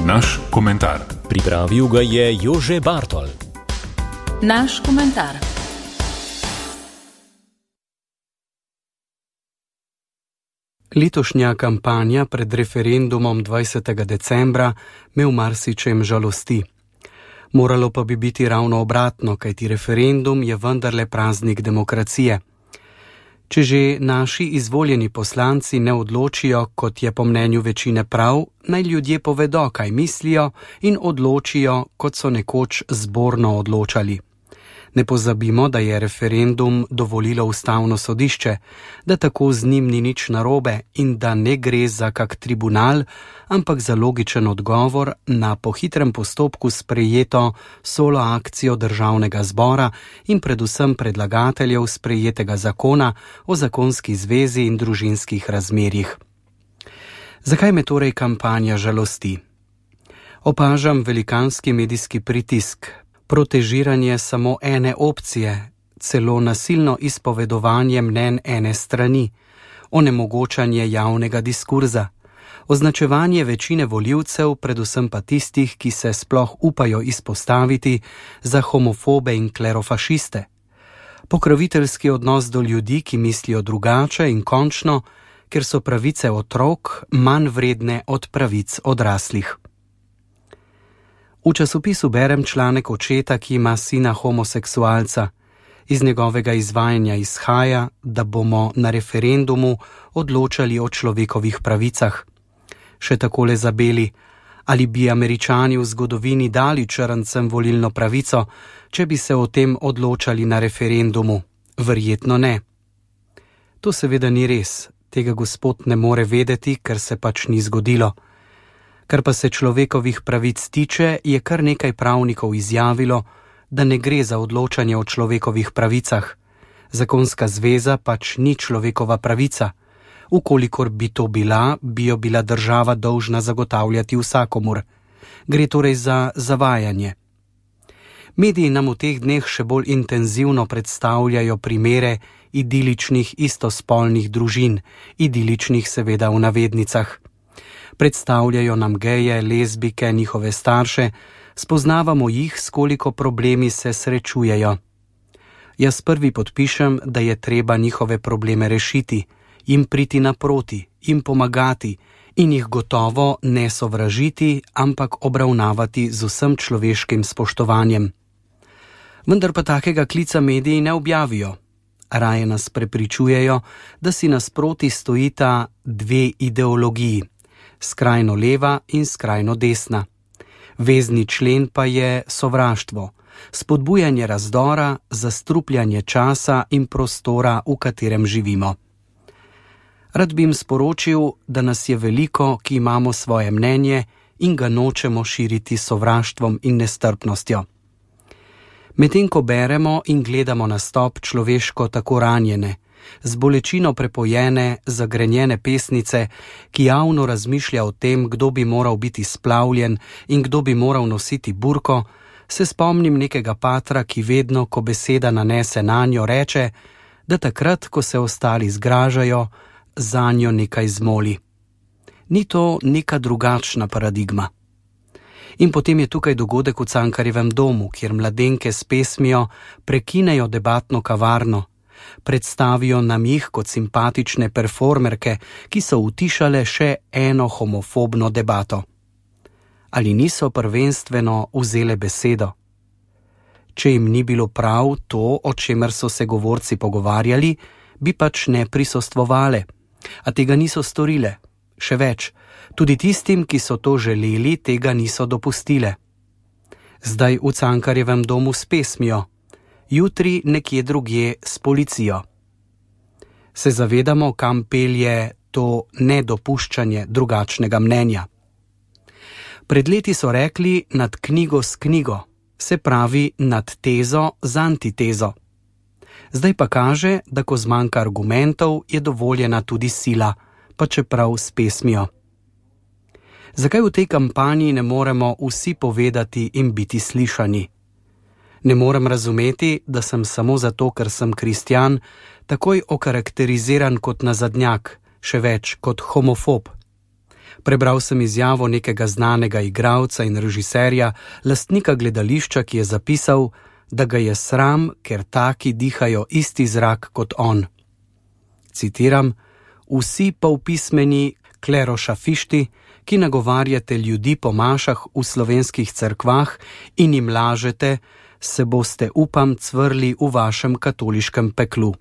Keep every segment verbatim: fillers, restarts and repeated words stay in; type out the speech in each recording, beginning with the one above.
Naš komentar. Pripravil ga je Jože Bartol. Naš komentar. Letošnja kampanja pred referendumom dvajsetega decembra me v marsičem žalosti. Moralo pa bi biti ravno obratno, kajti referendum je vendarle praznik demokracije. Če že naši izvoljeni poslanci ne odločijo, kot je po mnenju večine prav, naj ljudje povedo, kaj mislijo in odločijo, kot so nekoč zborno odločali. Ne pozabimo, da je referendum dovolilo ustavno sodišče, da tako z njim ni nič narobe in da ne gre za kak tribunal, ampak za logičen odgovor na po hitrem postopku sprejeto solo akcijo Državnega zbora in predvsem predlagateljev sprejetega zakona o zakonski zvezi in družinskih razmerjih. Zakaj me torej kampanja žalosti? Opažam velikanski medijski pritisk, protežiranje samo ene opcije, celo nasilno izpovedovanje mnenj ene strani, onemogočanje javnega diskurza, označevanje večine volivcev, predvsem pa tistih, ki se sploh upajo izpostaviti za homofobe in klerofašiste, pokroviteljski odnos do ljudi, ki mislijo drugače in končno, ker so pravice otrok manj vredne od pravic odraslih. V časopisu berem članek očeta, ki ima sina homoseksualca. Iz njegovega izvajanja izhaja, da bomo na referendumu odločali o človekovih pravicah. Še takole zabeli, ali bi Američani v zgodovini dali črncem volilno pravico, če bi se o tem odločali na referendumu? Verjetno ne. To seveda ni res, tega gospod ne more vedeti, ker se pač ni zgodilo. Kar pa se človekovih pravic tiče, je kar nekaj pravnikov izjavilo, da ne gre za odločanje o človekovih pravicah. Zakonska zveza pač ni človekova pravica. Ukolikor bi to bila, bi jo bila država dolžna zagotavljati vsakomur. Gre torej za zavajanje. Mediji nam v teh dneh še bolj intenzivno predstavljajo primere idiličnih istospolnih družin, idiličnih seveda v navednicah. Predstavljajo nam geje, lezbike, njihove starše, spoznavamo jih, s koliko problemi se srečujejo. Jaz prvi podpišem, da je treba njihove probleme rešiti, jim priti naproti, jim pomagati in jih gotovo ne sovražiti, ampak obravnavati z vsem človeškim spoštovanjem. Vendar pa takega klica mediji ne objavijo. Raje nas prepričujejo, da si nasproti stojita dve ideologiji, skrajno leva in skrajno desna. Vezni člen pa je sovraštvo, spodbujanje razdora, zastrupljanje časa in prostora, v katerem živimo. Rad bi jim sporočil, da nas je veliko, ki imamo svoje mnenje in ga nočemo širiti s sovraštvom in nestrpnostjo. Medtem ko beremo in gledamo nastop človeško tako ranjene, z bolečino prepojene, zagrenjene pesnice, ki javno razmišlja o tem, kdo bi moral biti splavljen in kdo bi moral nositi burko, se spomnim nekega patra, ki vedno, ko beseda nanese nanjo, reče, da takrat, ko se ostali zgražajo, zanjo nekaj zmoli. Ni to neka drugačna paradigma? In potem je tukaj dogodek v Cankarjevem domu, kjer mladenke s pesmijo prekinejo debatno kavarno, predstavijo nam jih kot simpatične performerke, ki so utišale še eno homofobno debato. Ali niso prvenstveno vzele besedo? Če jim ni bilo prav to, o čemer so se govorci pogovarjali, bi pač ne prisostvovale, a tega niso storile. Še več, tudi tistim, ki so to želeli, tega niso dopustile. Zdaj v Cankarjevem domu s pesmijo, jutri nekje drugje s policijo. Se zavedamo, kam pelje to nedopuščanje drugačnega mnenja. Pred leti so rekli nad knjigo s knjigo, se pravi nad tezo z antitezo. Zdaj pa kaže, da ko zmanjka argumentov, je dovoljena tudi sila, pa čeprav s pesmijo. Zakaj v tej kampanji ne moremo vsi povedati in biti slišani? Ne morem razumeti, da sem samo zato, ker sem kristjan, takoj okarakteriziran kot nazadnjak, še več kot homofob. Prebral sem izjavo nekega znanega igralca in režiserja, lastnika gledališča, ki je zapisal, da ga je sram, ker taki dihajo isti zrak kot on. Citiram: vsi polpismeni klerošafišti, ki nagovarjate ljudi po mašah v slovenskih cerkvah in jim lažete, se boste, upam, cvrli v vašem katoliškem peklu.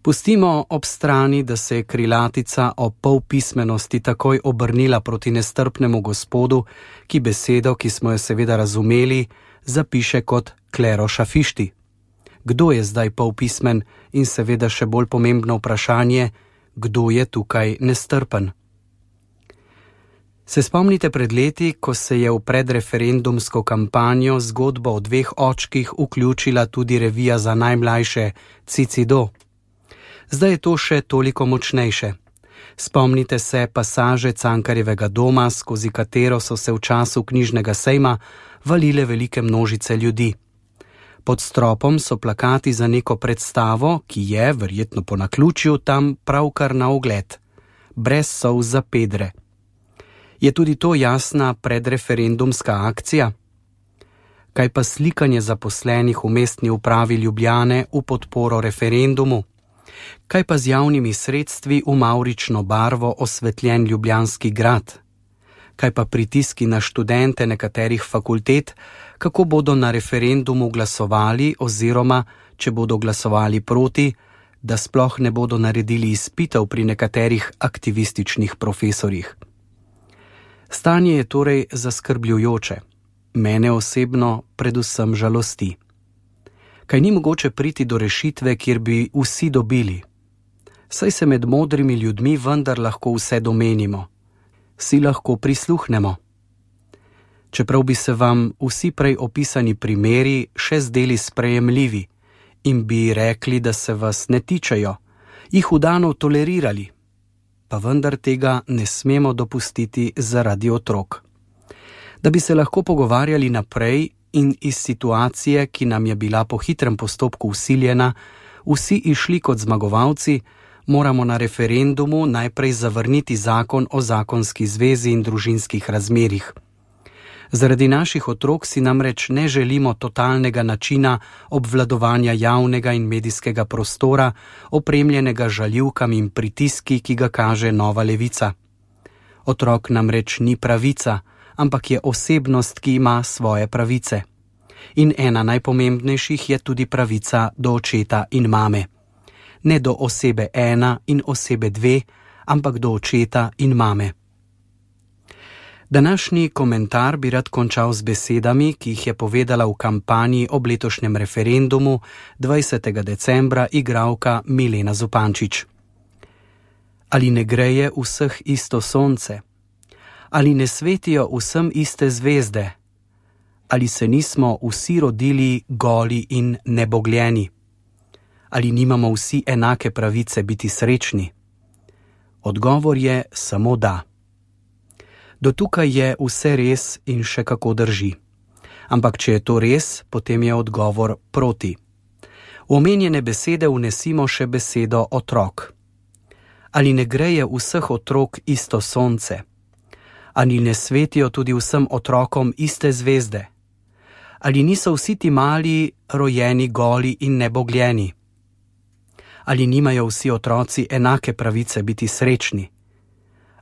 Pustimo ob strani, da se je krilatica o polpismenosti takoj obrnila proti nestrpnemu gospodu, ki besedo, ki smo jo seveda razumeli, zapiše kot klerošafišti. Kdo je zdaj polpismen in seveda še bolj pomembno vprašanje, kdo je tukaj nestrpen? Se spomnite pred leti, ko se je v predreferendumsko kampanjo zgodbo o dveh očkih vključila tudi revija za najmlajše Cicido? Zdaj je to še toliko močnejše. Spomnite se pasaže Cankarjevega doma, skozi katero so se v času knjižnega sejma valile velike množice ljudi. Pod stropom so plakati za neko predstavo, ki je, verjetno po naključju, tam pravkar na ogled. Brez solz za pedre. Je tudi to jasna predreferendumska akcija? Kaj pa slikanje zaposlenih v mestni upravi Ljubljane v podporo referendumu? Kaj pa z javnimi sredstvi v mavrično barvo osvetljen Ljubljanski grad? Kaj pa pritiski na študente nekaterih fakultet, kako bodo na referendumu glasovali oziroma, če bodo glasovali proti, da sploh ne bodo naredili izpitev pri nekaterih aktivističnih profesorjih? Stanje je torej zaskrbljujoče. Mene osebno predvsem žalosti. Kaj ni mogoče priti do rešitve, kjer bi vsi dobili? Saj se med modrimi ljudmi vendar lahko vse domenimo. Si lahko prisluhnemo. Čeprav bi se vam vsi prej opisani primeri še zdeli sprejemljivi in bi rekli, da se vas ne tičejo, jih vdano tolerirali, pa vendar tega ne smemo dopustiti zaradi otrok. Da bi se lahko pogovarjali naprej in iz situacije, ki nam je bila po hitrem postopku vsiljena, vsi išli kot zmagovalci, moramo na referendumu najprej zavrniti zakon o zakonski zvezi in družinskih razmerjih. Zaradi naših otrok si namreč ne želimo totalnega načina obvladovanja javnega in medijskega prostora, opremljenega žaljivkami in pritiski, ki ga kaže nova levica. Otrok namreč ni pravica, ampak je osebnost, ki ima svoje pravice. In ena najpomembnejših je tudi pravica do očeta in mame. Ne do osebe ena in osebe dve, ampak do očeta in mame. Današnji komentar bi rad končal z besedami, ki jih je povedala v kampanji ob letošnjem referendumu dvajsetega decembra igralka Milena Zupančič. Ali ne greje vseh isto sonce? Ali ne svetijo vsem iste zvezde? Ali se nismo vsi rodili goli in nebogljeni? Ali nimamo vsi enake pravice biti srečni? Odgovor je samo da. Do tukaj je vse res in še kako drži. Ampak če je to res, potem je odgovor proti. V omenjene besede vnesimo še besedo otrok. Ali ne greje vseh otrok isto sonce? Ali ne svetijo tudi vsem otrokom iste zvezde? Ali niso vsi ti mali rojeni goli in nebogljeni? Ali nimajo vsi otroci enake pravice biti srečni?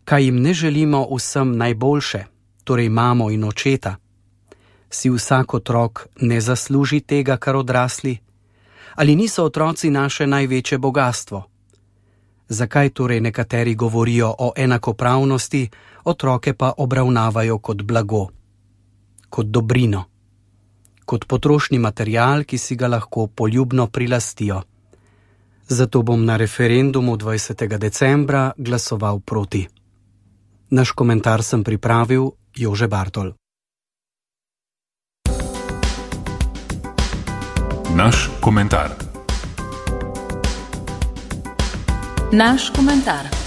Kaj jim ne želimo vsem najboljše, torej mamo in očeta? Si vsak otrok ne zasluži tega, kar odrasli? Ali niso otroci naše največje bogastvo? Zakaj torej nekateri govorijo o enakopravnosti, otroke pa obravnavajo kot blago, kot dobrino, kot potrošni material, ki si ga lahko poljubno prilastijo? Zato bom na referendumu dvajsetega decembra glasoval proti. Naš komentar sem pripravil Jože Bartol. Naš komentar. Naš komentar.